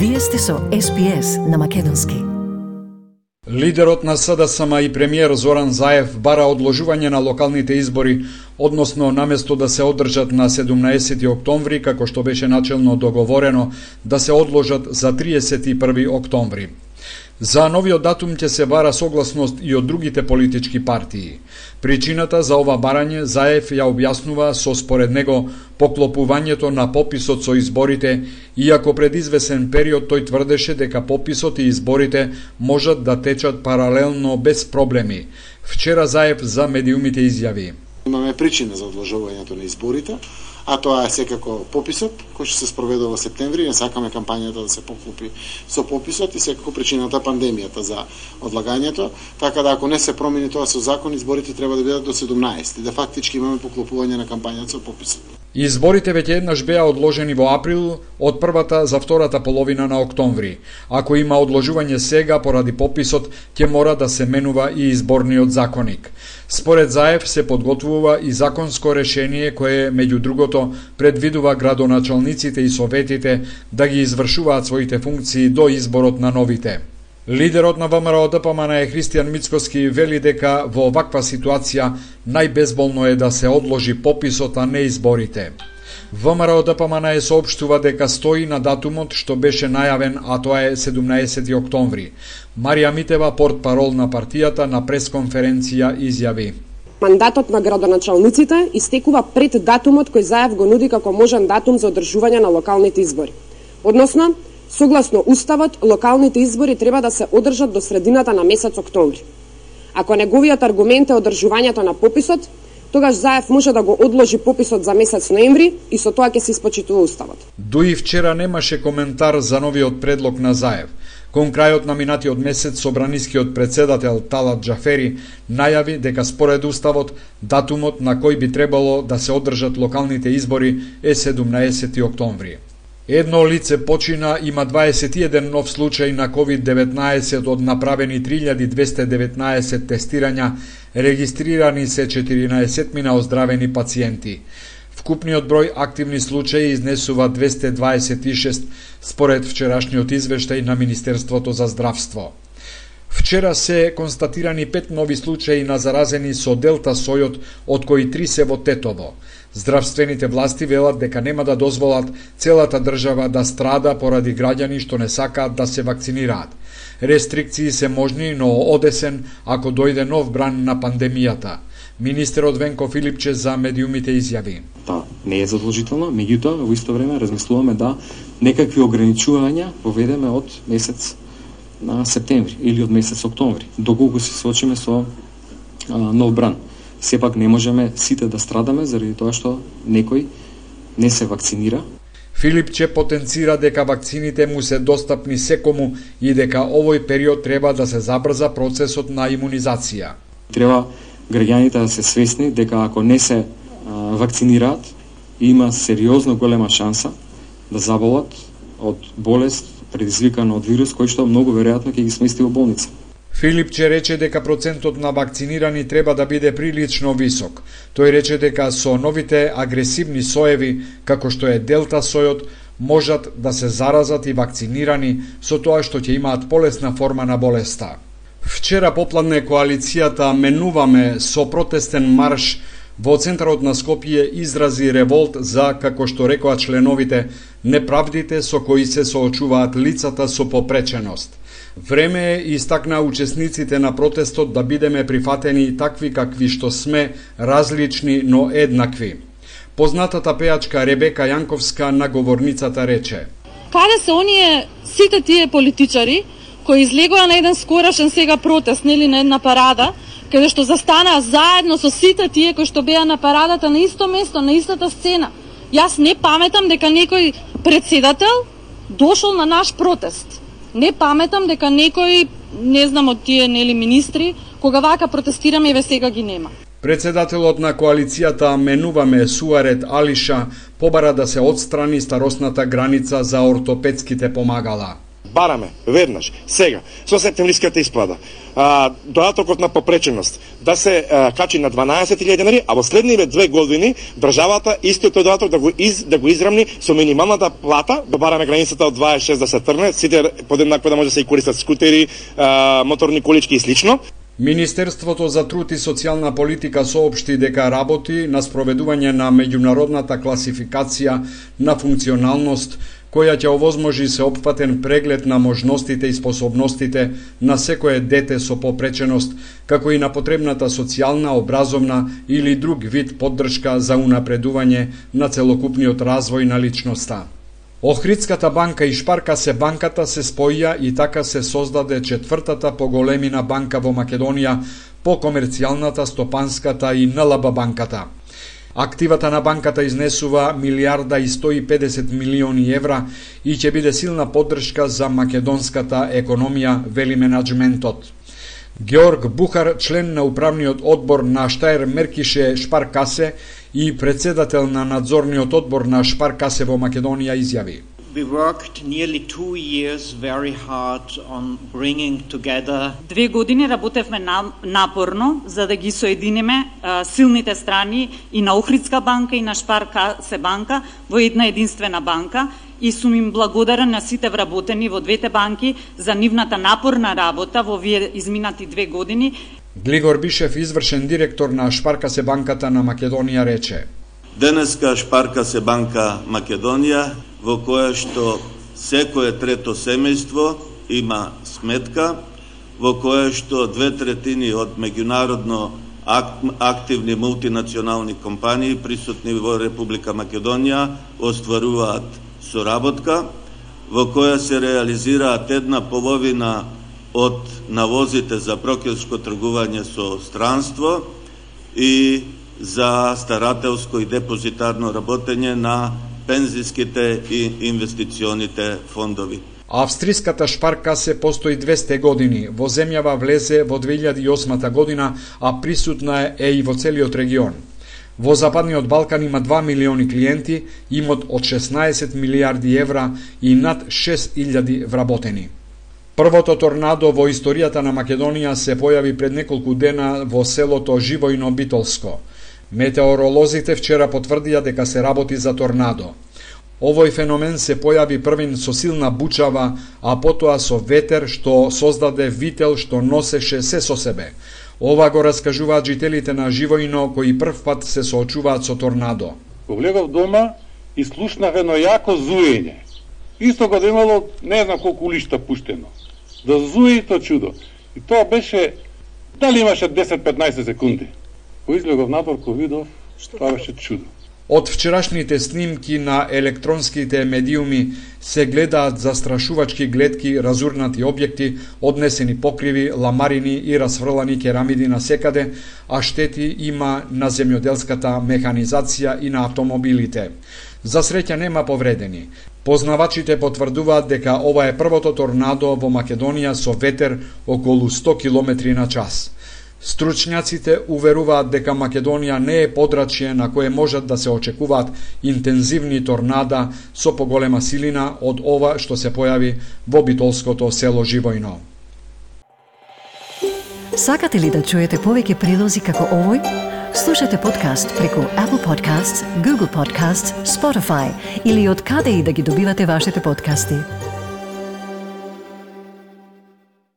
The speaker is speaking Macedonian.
Вие сте со SPS на македонски. Лидерот на СДСМ и премиер Зоран Заев бара одложување на локалните избори, односно наместо да се одржат на 17 октомври, како што беше начелно договорено, да се одложат за 31 октомври. За новиот датум ќе се бара согласност и од другите политички партии. Причината за ова барање Заев ја објаснува со според него поклопувањето на пописот со изборите, иако пред извесен период тој тврдеше дека пописот и изборите можат да течат паралелно без проблеми. Вчера Заев за медиумите изјави: Имаме причина за одложувањето на изборите, а тоа е секако пописот, кој ќе се спроведе во септември. Не сакаме кампањата да се поклопи со пописот и секако причината пандемијата за одлагањето, така да ако не се промени тоа со закон, изборите треба да бидат до 17, да фактички имаме поклопување на кампањата со пописот. Изборите веќе еднаш беа одложени во април од првата за втората половина на октомври. Ако има одложување сега поради пописот, ќе мора да се менува и изборниот законник. Според Заев се подготвува и законско решение кое, меѓу другото, предвидува градоначалниците и советите да ги извршуваат своите функции до изборот на новите. Лидерот на ВМРО-ДПМН Христијан Мицкоски вели дека во оваква ситуација најбезболно е да се одложи пописот, а не изборите. ВМРО-ДПМН соопштува дека стои на датумот што беше најавен, а тоа е 17 октомври. Марија Митева, портпарол на партијата, на пресконференција изјави: Мандатот на градоначалниците истекува пред датумот кој Заев го нуди како можен датум за одржување на локалните избори. Односно, согласно Уставот, локалните избори треба да се одржат до средината на месец октомври. Ако неговиот аргумент е одржувањето на пописот, тогаш Заев може да го одложи пописот за месец ноември и со тоа ќе се испочитува Уставот. Дуи вчера немаше коментар за новиот предлог на Заев. Кон крајот на минатиот месец, собранискиот председател Талат Џафери најави дека според Уставот, датумот на кој би требало да се одржат локалните избори е 17 октомври. Едно лице почина, има 21 нов случај на COVID-19 од направени 3219 тестирања, регистрирани се 14 оздравени пациенти. Вкупниот број активни случаи изнесува 226 според вчерашниот извештај на Министерството за здравство. Вчера се констатирани 5 нови случаи на заразени со Делта сојот, од кои 3 се во Тетово. Здравствените власти велат дека нема да дозволат целата држава да страда поради граѓани што не сакаат да се вакцинираат. Рестрикции се можни, но одесен ако дојде нов бран на пандемијата. Министерот Венко Филипче за медиумите изјави: Та не е задолжително, меѓутоа во исто време размислуваме да некакви ограничувања поведеме од месец на септември или од месец октомври, доколку се соочиме со нов бран. Сепак не можеме сите да страдаме заради тоа што некој не се вакцинира. Филипче потенцира дека вакцините му се достапни секому и дека овој период треба да се забрза процесот на имунизација. Треба граѓаните да се свесни дека ако не се вакцинираат, има сериозно голема шанса да заболат од болест предизвикана од вирус кој што многу веројатно ќе ги смести во болница. Филипче рече дека процентот на вакцинирани треба да биде прилично висок. Тој рече дека со новите агресивни соеви, како што е Делта сојот, можат да се заразат и вакцинирани со тоа што ќе имаат полесна форма на болеста. Вчера попладне коалицијата Менуваме со протестен марш во центарот на Скопје изрази револт за, како што рекоа членовите, неправдите со кои се соочуваат лицата со попреченост. Време е, истакна учесниците на протестот, да бидеме прифатени такви какви што сме, различни, но еднакви. Познатата пејачка Ребека Јанковска на говорницата рече: Каде се оние сите тие политичари кои излегоа на еден скорошен сега протест, нели на една парада, каде што застанаа заедно со сите тие кои што беа на парадата на исто место, на истата сцена? Јас не паметам дека некој председател дошол на наш протест. Не паметам дека некој, не знам, од тие нели министри, кога вака протестираме и ве сега ги нема. Председателот на коалицијата Менуваме Суарет Алиша побара да се отстрани старосната граница за ортопедските помагала. бараме веднаш, сега, со септемвриската исплата, додатокот на попреченост да се качи на 12.000 денари, а во следниве 2 години државата истиот тој додаток да го израмни со минималната плата, да бараме границата од 26 да се трне, сите подеднакво да може да се и користат скутери, моторни колички и слично. Министерството за труд и социјална политика соопшти дека работи на спроведување на меѓународната класификација на функционалност, која ќе овозможи сеопфатен преглед на можностите и способностите на секое дете со попреченост, како и на потребната социјална, образовна или друг вид поддршка за унапредување на целокупниот развој на личноста. Охридската банка и Шпаркасе банката се споија и така се создаде четвртата по големина банка во Македонија по комерцијалната, стопанската и НЛБ банката. Активата на банката изнесува 1.150 милиони евра и ќе биде силна поддршка за македонската економија, вели менаџментот. Георг Бухар, член на управниот одбор на Штаер Меркише Шпаркасе и председател на надзорниот одбор на Шпаркасе во Македонија, изјави: We worked nearly 2 years very hard on bringing together. 2 години работевме напорно за да ги соединиме силните страни и на Охридска банка и на Шпаркасе банка во една единствена банка, и сум им благодарен на сите вработени во двете банки за нивната напорна работа во овие изминати 2 години. Глигор Бишев, извршен директор на Шпаркасе банката на Македонија, рече: Денеска Шпаркасе банка Македонија, во која што секое трето семејство има сметка, во која што 2/3 од меѓународно активни мултинационални компании присутни во Република Македонија остваруваат соработка, во која се реализираат 1/2 од навозите за брокерско тргување со странство и за старателско и депозитарно работење на пензиските и инвестиционите фондови. Австриската Шпаркасе постои 200 години. Во земјава влезе во 2008 година, а присутна е и во целиот регион. Во Западниот Балкан има 2 милиони клиенти, имот од 16 милиарди евра и над 6000 вработени. Првото торнадо во историјата на Македонија се појави пред неколку дена во селото Живојно Битолско. Метеоролозите вчера потврдија дека се работи за торнадо. Овој феномен се појави првин со силна бучава, а потоа со ветер што создаде вител што носеше се со себе. Ова го раскажуваат жителите на Живојно кои прв пат се соочуваат со торнадо. Влегов дома и слушнав едно јако зуење. Исто го имало не знам колку улишта пуштено. Да зуи то чудо. И тоа беше, дали имаше 10-15 секунди. Кој излегов надвор, кој видов, тоа беше чудо. Од вчерашните снимки на електронските медиуми се гледаат застрашувачки гледки, разурнати објекти, однесени покриви, ламарини и расфрлани керамиди насекаде, а штети има на земјоделската механизација и на автомобилите. За среќа нема повредени. Познавачите потврдуваат дека ова е првото торнадо во Македонија со ветер околу 100 км на час. Стручњаците уверуваат дека Македонија не е подрачје на кое можат да се очекуваат интензивни торнада со поголема силина од ова што се појави во битолското село Живојно. Сакате ли да чуете повеќе прилози како овој? Слушате подкаст преку Apple Podcasts, Google Podcasts, Spotify или од каде и да ги добивате вашите подкасти.